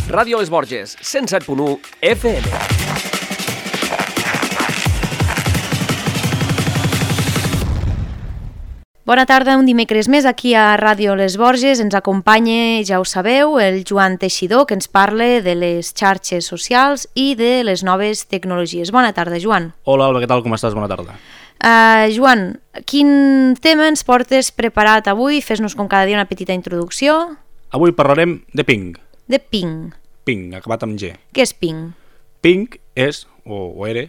Ràdio Les Borges, 107.1 FM. Bona tarda, un dimecres més aquí a Ràdio Les Borges. Ens acompanya, ja ho sabeu, el Joan Teixidor, que ens parla de les xarxes socials i de les noves tecnologies. Bona tarda, Joan. Hola, Alba, què tal? Com estàs? Bona tarda. Joan, quin tema ens portes preparat avui? Fes-nos com cada dia una petita introducció. Avui parlarem de Ping. De Ping. Ping, acabat amb G. Què és Ping? Ping és, o era,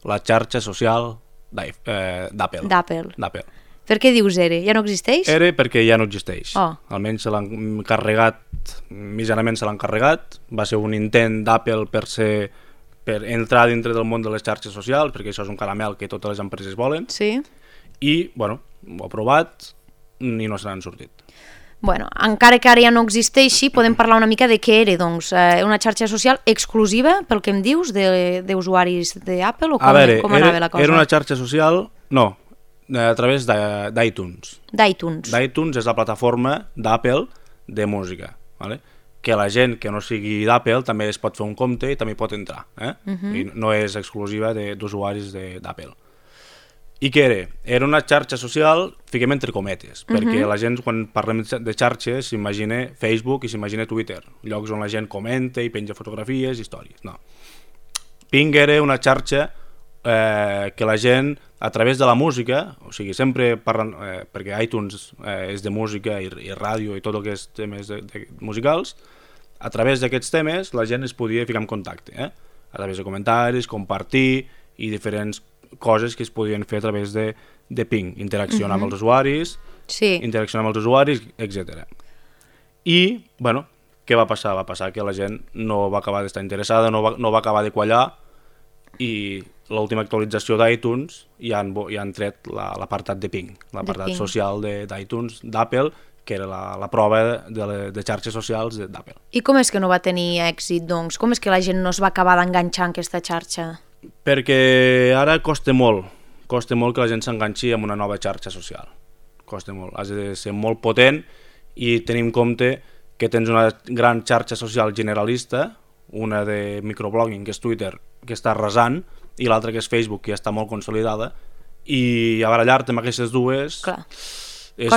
la xarxa social d'Apple. D'Apple. Per què dius era? Ja no existeix? Era perquè ja no existeix. Oh. Almenys se l'han carregat, mitjanament se l'han carregat. Va ser un intent d'Apple per entrar dintre del món de les xarxes socials, perquè això és un caramel que totes les empreses volen. Sí. I, bueno, ho ha provat i no se n'han sortit. Bueno, encara que ara ja no existeixi, podem parlar una mica de què era, doncs, una xarxa social exclusiva, pel que em dius, d'usuaris d'Apple, o com anava la cosa? Era una xarxa social, no, a través d'iTunes. d'iTunes. d'iTunes és la plataforma d'Apple de música, ¿vale? Que la gent que no sigui d'Apple també es pot fer un compte i també pot entrar, I no és exclusiva d'usuaris d'Apple. I què era? Era una xarxa social, fiquem entre cometes, perquè la gent, quan parlem de xarxes, s'imagina Facebook i s'imagina Twitter, llocs on la gent comenta i penja fotografies, històries. No. Ping era una xarxa que la gent, a través de la música, o sigui, sempre parlant, perquè iTunes és de música i ràdio i tot el que és temes musicals, a través d'aquests temes la gent es podia ficar en contacte, a través de comentaris, compartir i diferents coses que es podien fer a través de Ping, interaccionar amb els usuaris, etc. I, bueno, què va passar? Va passar que la gent no va acabar d'estar interessada, no va acabar de quallar, i l'última actualització d'iTunes ja han tret l'apartat de Ping, l'apartat social d'iTunes, d'Apple, que era la prova de xarxes socials d'Apple. I com és que no va tenir èxit, doncs? Com és que la gent no es va acabar d'enganxar en aquesta xarxa? Perquè ara costa molt que la gent s'enganxi amb una nova xarxa social. Costa molt, has de ser molt potent i tenir en compte que tens una gran xarxa social generalista, una de microblogging, que és Twitter, que està arrasant, i l'altra que és Facebook, que ja està molt consolidada, i a barallar-te amb aquestes dues és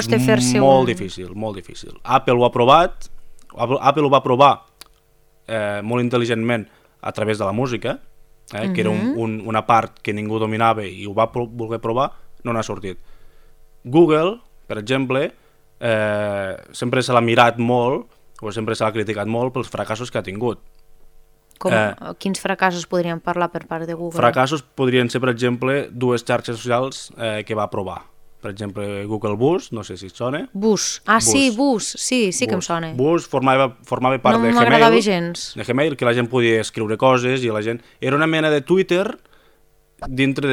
molt difícil, molt difícil. Apple ho va provar molt intel·ligentment a través de la música, que era una part que ningú dominava i ho va voler provar, no n'ha sortit. Google, per exemple, sempre se l'ha mirat molt, o sempre se l'ha criticat molt pels fracassos que ha tingut. Quins fracassos podríem parlar per part de Google? Fracassos podrien ser, per exemple, dues xarxes socials que va provar. Per exemple, Google Bus, no sé si et sona. Bus, sí, Bus, sí que em sona. Bus formava part de Gmail. No m'agradava gens. De Gmail, que la gent podia escriure coses i la gent... Era una mena de Twitter dintre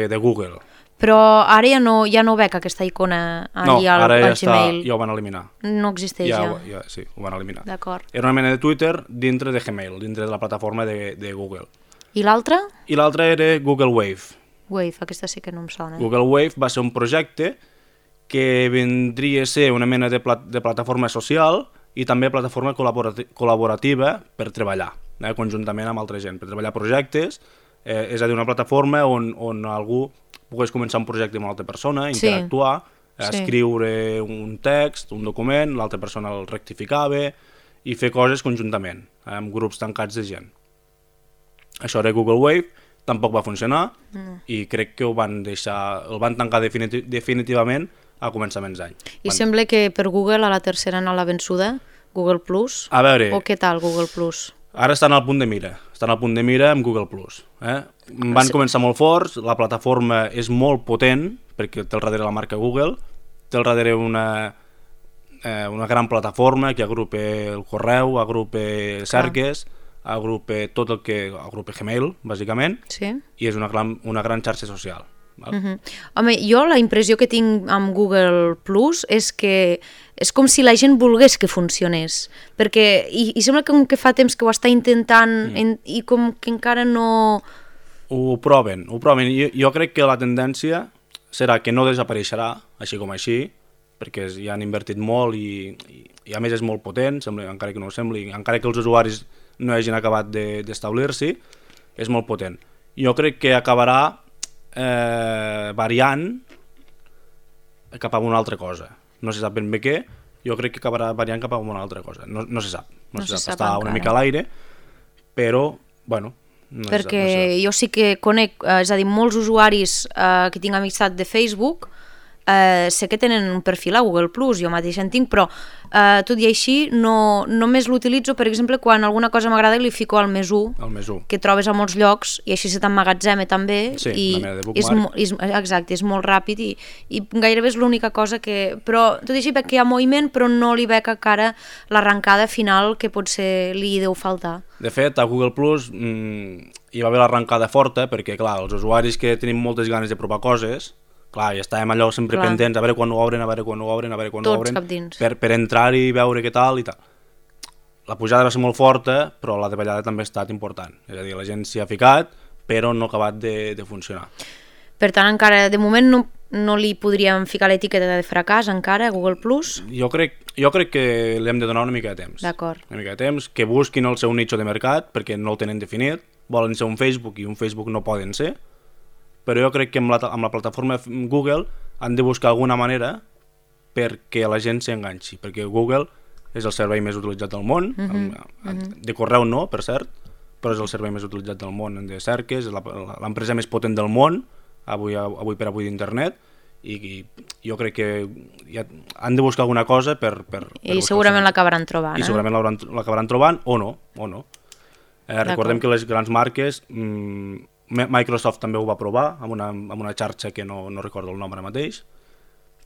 de Google. Però ara ja no veig aquesta icona allà al Gmail. Ja ho van eliminar. No existeix ja. Sí, ho van eliminar. D'acord. Era una mena de Twitter dintre de Gmail, dintre de la plataforma de Google. I l'altra? I l'altra era Google Wave. Wave, aquesta sí que no em sona. Google Wave va ser un projecte que vindria a ser una mena de plataforma social i també plataforma col·laborativa per treballar conjuntament amb altra gent, per treballar projectes, és a dir, una plataforma on algú pogués començar un projecte amb una altra persona, interactuar, escriure un text, un document, l'altra persona el rectificava i fer coses conjuntament, amb grups tancats de gent. Això era Google Wave. Tampoc va funcionar i crec que el van tancar definitivament a començaments d'any. I sembla que per Google a la tercera anà la vençuda, Google Plus. A veure... O què tal, Google Plus? Ara estan al punt de mira. Amb Google Plus. Van començar molt forts, la plataforma és molt potent, perquè té al darrere la marca Google, té al darrere una gran plataforma que agrupa el correu, agrupa cerques, agrupa tot el que agrupa Gmail, bàsicament, i és una gran xarxa social. Home, jo la impressió que tinc amb Google Plus és que és com si la gent volgués que funcionés, perquè i sembla que fa temps que ho està intentant i com que encara no... Ho proven. Jo crec que la tendència serà que no desapareixerà, així com així, perquè ja han invertit molt i i a més és molt potent, encara que no ho sembli, encara que els usuaris no hagin acabat d'establir-s'hi, és molt potent. Jo crec que acabarà variant cap a una altra cosa. No se sap ben bé què, jo crec que acabarà variant cap a una altra cosa. No se sap, està encara. Una mica a l'aire, però, bueno, no perquè se sap. jo sí que conec, és a dir, molts usuaris que tinc amistat de Facebook, sé que tenen un perfil a Google+, jo mateix en tinc, però tot i així només l'utilitzo, per exemple, quan alguna cosa m'agrada li fico al +1, que trobes a molts llocs i així se t'emmagatzema també, sí, i una mena de bookmark. exacte, és molt ràpid i gairebé és l'única cosa que... Però tot i així veig que hi ha moviment, però no li veig encara l'arrencada final que potser li deu faltar. De fet, a Google+, hi va haver l'arrencada forta, perquè clar, els usuaris que tenim moltes ganes de provar coses, clar, i estàvem allò sempre pendents, a veure quan ho obren, Tots cap dins. per entrar-hi i veure què tal i tal. La pujada va ser molt forta, però la davallada també ha estat important. És a dir, la gent s'hi ha ficat, però no ha acabat de funcionar. Per tant, encara, de moment, no li podríem ficar l'etiqueta de fracàs encara a Google+. Jo crec que li hem de donar una mica de temps. D'acord. Una mica de temps, que busquin el seu nicho de mercat, perquè no el tenen definit, volen ser un Facebook i un Facebook no poden ser, però jo crec que amb la plataforma Google han de buscar alguna manera perquè la gent s'enganxi, perquè Google és el servei més utilitzat del món, de correu no, per cert, però és el servei més utilitzat del món de cerques, és l'empresa més potent del món, avui per avui d'internet, i jo crec que han de buscar alguna cosa per I segurament l'acabaran trobant. I segurament l'acabaran trobant, o no. Recordem que les grans marques... Microsoft també ho va provar amb una xarxa que no recordo el nom ara mateix,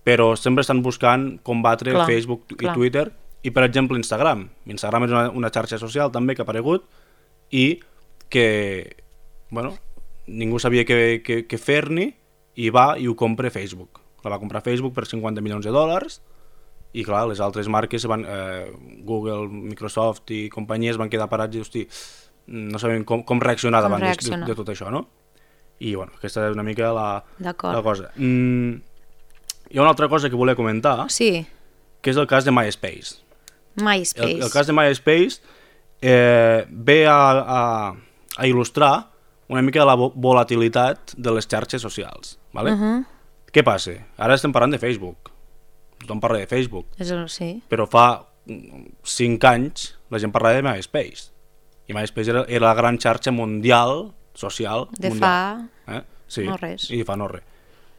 però sempre estan buscant combatre Facebook i Twitter i, per exemple, Instagram. Instagram és una xarxa social també que ha aparegut i que, bueno, ningú sabia què fer-ni i va i ho compra Facebook. La va comprar Facebook per $50 milions i, clar, les altres marques, Google, Microsoft i companyies van quedar parats i, hosti, no sabem com reaccionar davant de tot això, no? I, bueno, aquesta és una mica la cosa. Hi ha una altra cosa que volia comentar, que és el cas de MySpace. El cas de MySpace ve a il·lustrar una mica la volatilitat de les xarxes socials, ¿vale? Què passa? Ara estem parlant de Facebook. Tothom parla de Facebook. Però fa 5 anys la gent parlava de MySpace. I MySpace era la gran xarxa mundial, social, mundial. No res. I fa no res.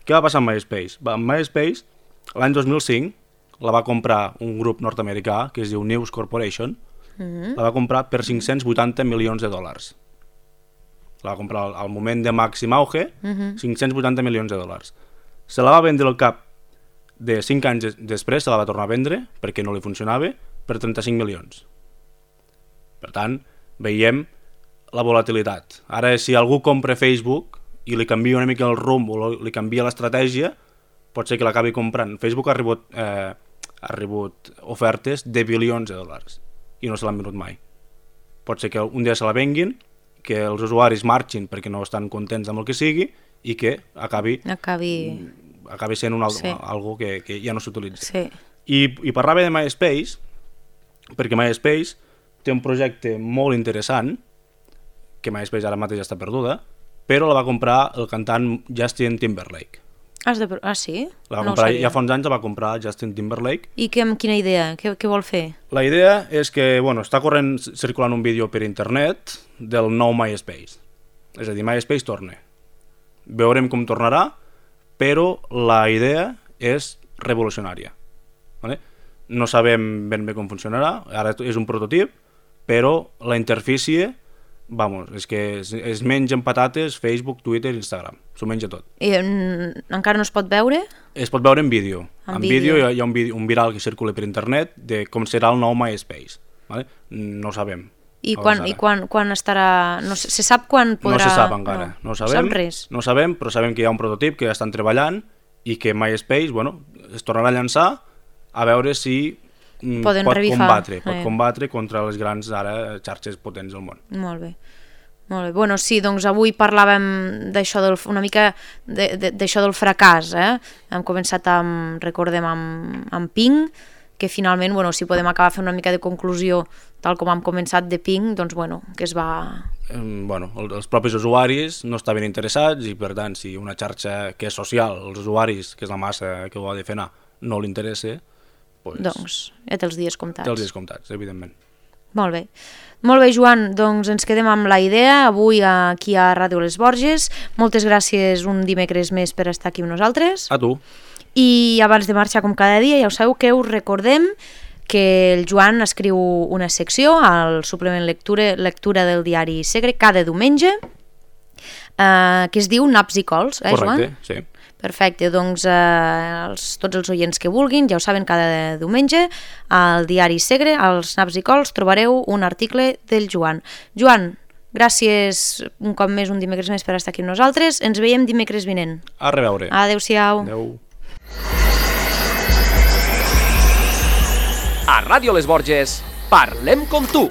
Què va passar amb MySpace? Amb MySpace, l'any 2005, la va comprar un grup nord-americà que es diu News Corporation, la va comprar per $580 milions. La va comprar al moment de màxim auge, $580 milions. Se la va vendre al cap de 5 anys després, se la va tornar a vendre, perquè no li funcionava, per 35 milions. Per tant, veiem la volatilitat. Ara, si algú compra Facebook i li canvia una mica el rumb o li canvia l'estratègia, pot ser que l'acabi comprant. Facebook ha rebut ofertes de bilions de dòlars i no se l'han venut mai. Pot ser que un dia se la venguin, que els usuaris marxin perquè no estan contents amb el que sigui i que acabi sent algo que ja no s'utilitza. I parlava de MySpace perquè MySpace té un projecte molt interessant, que MySpace ara mateix està perduda, però la va comprar el cantant Justin Timberlake. Sí? La va comprar, ja fa uns anys la va comprar Justin Timberlake. I amb quina idea? Què vol fer? La idea és que, està circulant un vídeo per internet del nou MySpace. És a dir, MySpace torna. Veurem com tornarà, però la idea és revolucionària. No sabem ben bé com funcionarà, ara és un prototip, però la interfície, és que es mengen patates Facebook, Twitter, Instagram, s'ho menja tot. I encara no es pot veure? Es pot veure en vídeo. En vídeo hi ha un viral que circula per internet de com serà el nou MySpace. No ho sabem. I quan estarà... Se sap quan podrà... No se sap encara. No sap res. No sabem, però sabem que hi ha un prototip que ja estan treballant i que MySpace es tornarà a llançar a veure si pot combatre contra les grans xarxes potents del món. Molt bé. Bueno, sí, doncs avui parlàvem d'això, una mica d'això del fracàs. Hem començat recordem, amb Ping, que finalment, bueno, si podem acabar fent una mica de conclusió, tal com hem començat de Ping, doncs bueno, que es va... Els propis usuaris no estaven interessats i per tant si una xarxa que és social, els usuaris, que és la massa que ho ha de fer anar, no li interessa, doncs ja té els dies comptats. Té els dies comptats, evidentment. Molt bé. Molt bé, Joan, doncs ens quedem amb la idea avui aquí a Ràdio Les Borges. Moltes gràcies un dimecres més per estar aquí amb nosaltres. A tu. I abans de marxar com cada dia, ja ho sabeu que us recordem que el Joan escriu una secció al suplement lectura del diari Segre cada diumenge que es diu Naps i Cols, Correcte, Joan? sí. Perfecte, doncs tots els oients que vulguin, ja ho saben, cada diumenge al diari Segre, als Naps i Cols, trobareu un article del Joan. Joan, gràcies un cop més, un dimecres més per estar aquí amb nosaltres. Ens veiem dimecres vinent. A reveure. Adéu-siau. Adéu. A Ràdio Les Borges, parlem com tu.